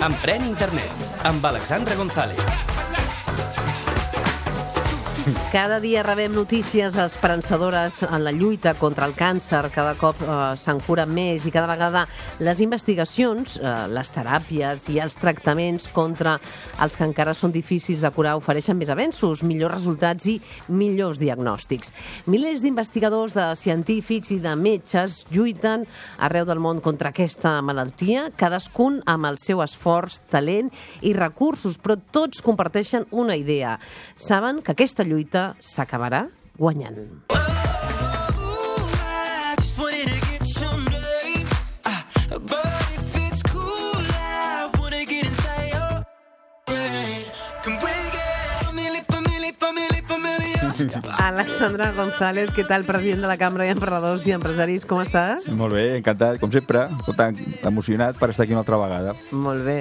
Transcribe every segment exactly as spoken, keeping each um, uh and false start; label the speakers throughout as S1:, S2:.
S1: Emprèn Internet, amb Alexandra González.
S2: Cada dia rebem notícies esperançadores en la lluita contra el càncer. Cada cop eh, se'n cura més i cada vegada les investigacions, eh, les teràpies i els tractaments contra els que encara són difícils de curar ofereixen més avenços, millors resultats i millors diagnòstics. Milers d'investigadors, de científics i de metges lluiten arreu del món contra aquesta malaltia, cadascun amb el seu esforç, talent i recursos, però tots comparteixen una idea. Saben que aquesta lluita s'acabarà guanyant. Alexandra González, què tal, president de la Cambra d'Emprenedors i Empresaris, com estàs?
S3: Molt bé, encantat, com sempre, tan emocionat per estar aquí una altra vegada.
S2: Molt bé.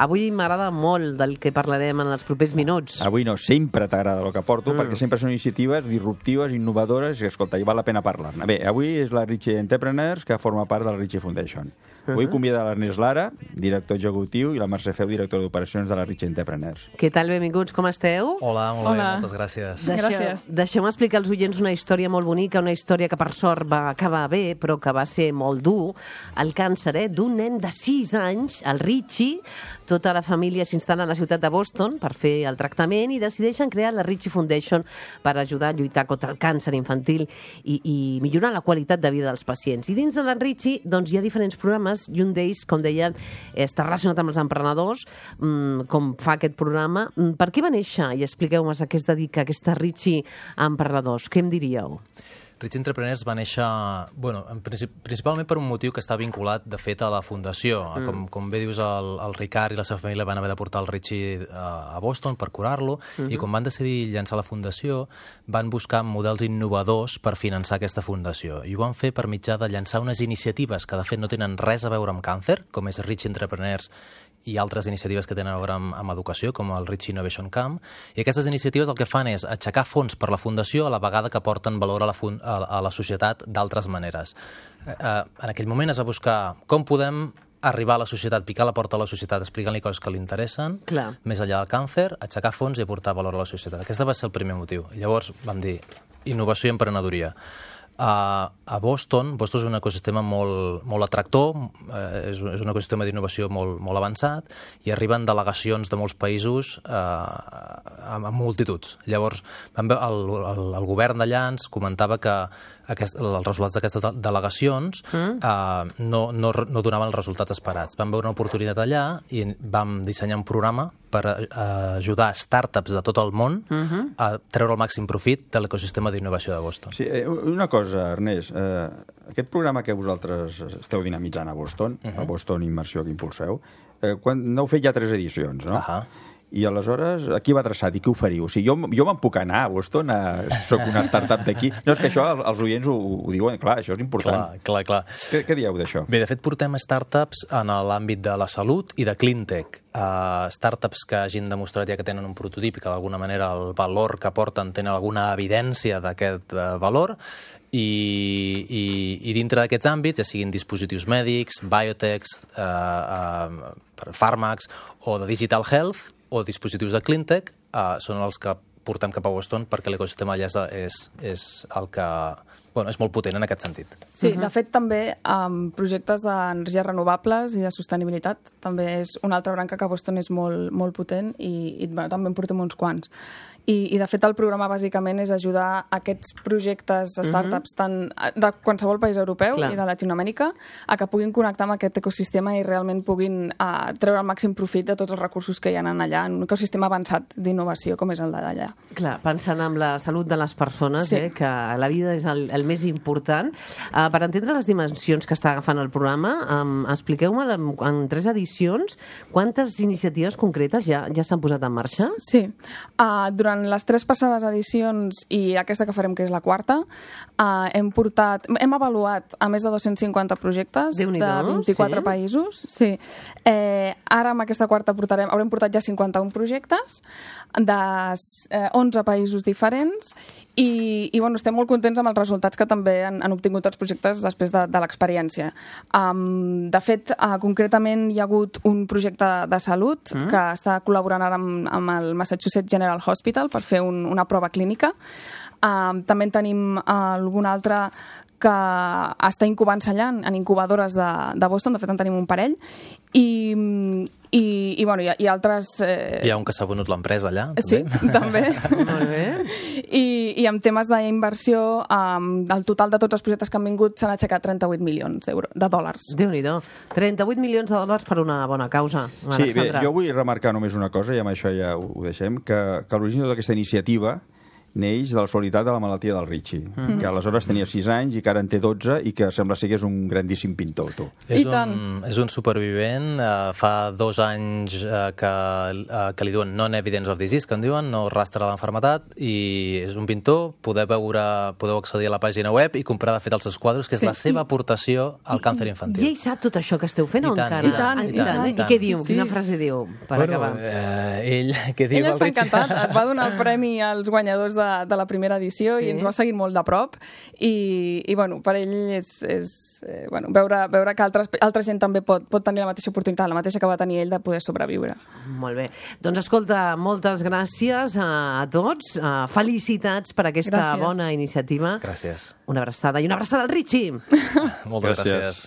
S2: Avui m'agrada molt del que parlarem en els propers minuts.
S3: Avui no, sempre t'agrada el que porto,
S2: Mm.
S3: perquè sempre són iniciatives disruptives, innovadores, i escolta, hi val la pena parlar-ne. Bé, avui és la Ritchie Entrepreneurs, que forma part de la Ritchie Foundation. Avui convida l'Ernest Lara, director executiu, i la Mercè Feu, director d'operacions de la Ritchie Entrepreneurs.
S2: Què tal, benvinguts, com esteu?
S4: Hola, molt
S5: Hola.
S4: bé, moltes gràcies.
S2: Deixeu,
S5: Gràcies.
S2: Deixeu-me explicar als oients una història molt bonica, una història que per sort va acabar bé, però que va ser molt dur. El càncer eh, d'un nen de sis anys, el Richie. Tota la família s'instal·la a la ciutat de Boston per fer el tractament i decideixen crear la Ritchie Foundation per ajudar a lluitar contra el càncer infantil i, i millorar la qualitat de vida dels pacients. I dins de la Ritchie doncs, hi ha diferents programes i un d'ells, com deia, està relacionat amb els emprenedors, mmm, com fa aquest programa. Per què va néixer? I expliqueu-me a què es dedica aquesta Ritchie a emprenedors. Què em diríeu?
S4: Ritchie Entrepreneurs va néixer, bueno, en princip, principalment per un motiu que està vinculat, de fet, a la fundació. Mm. Com, com bé dius, el, el Ricard i la seva família van haver de portar el Ritchie a, a Boston per curar-lo, mm-hmm. i quan van decidir llançar la fundació, van buscar models innovadors per finançar aquesta fundació. I ho van fer per mitjà de llançar unes iniciatives que, de fet, no tenen res a veure amb càncer, com és Ritchie Entrepreneurs i altres iniciatives que tenen a veure amb, amb educació, com el Ritchie Innovation Camp. I aquestes iniciatives el que fan és aixecar fons per la fundació a la vegada que porten valor a la, fun a, a la societat d'altres maneres. Eh, en aquell moment es va buscar com podem arribar a la societat, picar la porta a la societat, explicant-li coses que li interessen,
S2: Clar.
S4: més enllà del càncer, aixecar fons i aportar valor a la societat. Aquest va ser el primer motiu. I llavors vam dir innovació i emprenedoria. A, a Boston, Boston és un ecosistema molt, molt atractor, eh, és, és un ecosistema d'innovació molt, molt avançat, i arriben delegacions de molts països eh, amb, amb multituds. Llavors, vam veure, el, el, el govern d'allà ens comentava que aquest, els resultats d'aquestes delegacions mm. eh, no, no, no donaven els resultats esperats. Vam veure una oportunitat allà i vam dissenyar un programa per eh, ajudar startups de tot el món mm-hmm. a treure el màxim profit de l'ecosistema d'innovació de Boston.
S3: Sí, eh, una cosa, Ernest, eh, aquest programa que vosaltres esteu dinamitzant a Boston, uh-huh. a Boston Immersió que impulseu, eh, quan n'heu fet ja tres edicions, no?
S4: Ahà.
S3: I aleshores, a qui va adreçat i què oferiu? O sigui, jo, jo me'n puc anar a Boston, a, soc una startup d'aquí. No, és que això els oients ho, ho diuen, clar, això és important.
S4: Clar, clar, clar.
S3: Què, què dieu d'això?
S4: Bé, de fet, portem startups en l'àmbit de la salut i de cleantech. Uh, startups que hagin demostrat ja que tenen un prototip i que d'alguna manera el valor que porten tenen alguna evidència d'aquest uh, valor, i, i, i dintre d'aquests àmbits, ja siguin dispositius mèdics, biotechs, uh, uh, fàrmacs o de digital health, o dispositius de cleantech, uh, són els que portem cap a Boston perquè l'ecosistema allà és, és el que... Bueno, és molt potent en aquest sentit.
S5: Sí, de fet, també um, projectes d'energies renovables i de sostenibilitat també és una altra branca que a Boston és molt, molt potent i, i bueno, també en portem uns quants. I, I, de fet, el programa bàsicament és ajudar aquests projectes, startups, tant de qualsevol país europeu
S2: Clar.
S5: i de Llatinoamèrica, a que puguin connectar amb aquest ecosistema i realment puguin uh, treure el màxim profit de tots els recursos que hi ha allà, en un ecosistema avançat d'innovació com és el d'allà.
S2: Clar, pensant en la salut de les persones,
S5: Sí.
S2: eh, que la vida és el, el més important. Uh, per entendre les dimensions que està agafant el programa, um, expliqueu-me en, en tres edicions quantes iniciatives concretes ja ja s'han posat en marxa?
S5: Sí. Uh, durant les tres passades edicions i aquesta que farem, que és la quarta, uh, hem portat, hem avaluat a més de dos-cents cinquanta projectes de vint-i-quatre
S2: sí.
S5: països. Sí. Eh, ara, amb aquesta quarta, portarem, haurem portat ja cinquanta-un projectes de eh, onze països diferents I, i bueno, estem molt contents amb els resultats que també han, han obtingut els projectes després de, de l'experiència. Um, de fet, uh, concretament hi ha hagut un projecte de salut mm. que està col·laborant ara amb, amb el Massachusetts General Hospital per fer un, una prova clínica. Um, també en tenim uh, algun altre que està incubant-se allà en, en incubadores de, de Boston, de fet en tenim un parell, i, i, i, bueno, hi, ha, hi ha altres... Eh...
S4: Hi ha un que s'ha venut l'empresa allà, també.
S5: Sí, també.
S2: Molt bé.
S5: I, i en temes d'inversió, um, el total de tots els projectes que han vingut s'han aixecat trenta-vuit milions de dòlars.
S2: Déu-n'hi-do. trenta-vuit milions de dòlars per una bona causa,
S3: Sí, bé,
S2: Alexandra.
S3: jo vull remarcar només una cosa, i amb això ja ho, ho deixem, que, que l'origen d'aquesta iniciativa neix de la solitat de la malaltia del Richie, mm-hmm. que aleshores tenia sis anys i que ara en té dotze i que sembla ser que és un grandíssim pintor, tu.
S4: És
S5: I tant.
S4: un, és un supervivent, uh, fa dos anys uh, que, uh, que li diuen non-evidence of disease, que en diuen, no rastre de l'enfermetat, i és un pintor, podeu veure, podeu accedir a la pàgina web i comprar de fet els seus quadres, que és
S2: Sí.
S4: la seva aportació al càncer infantil.
S2: I ell sap tot això que esteu fent o
S4: I tant,
S2: encara?
S4: i tant,
S2: Ah,
S4: i tant,
S2: eh?
S4: i tant.
S2: I què diu?
S4: Sí, sí.
S2: Quina frase diu, per
S4: bueno,
S2: acabar?
S4: Eh, ell, què diu
S5: Ell
S4: el
S5: està
S4: Richie?
S5: encantat, et va donar el premi als guanyadors de, de la primera edició
S2: Sí.
S5: i ens va seguir molt de prop i, i bueno, per ell és, és eh, bueno, veure, veure que altres, altra gent també pot, pot tenir la mateixa oportunitat, la mateixa que va tenir ell de poder sobreviure.
S2: Molt bé. Doncs escolta, moltes gràcies a, a tots. Uh, felicitats per aquesta
S5: Gràcies.
S2: bona iniciativa.
S4: Gràcies.
S2: Una abraçada i una abraçada al Richie.
S4: Moltes
S3: Gràcies.
S4: gràcies.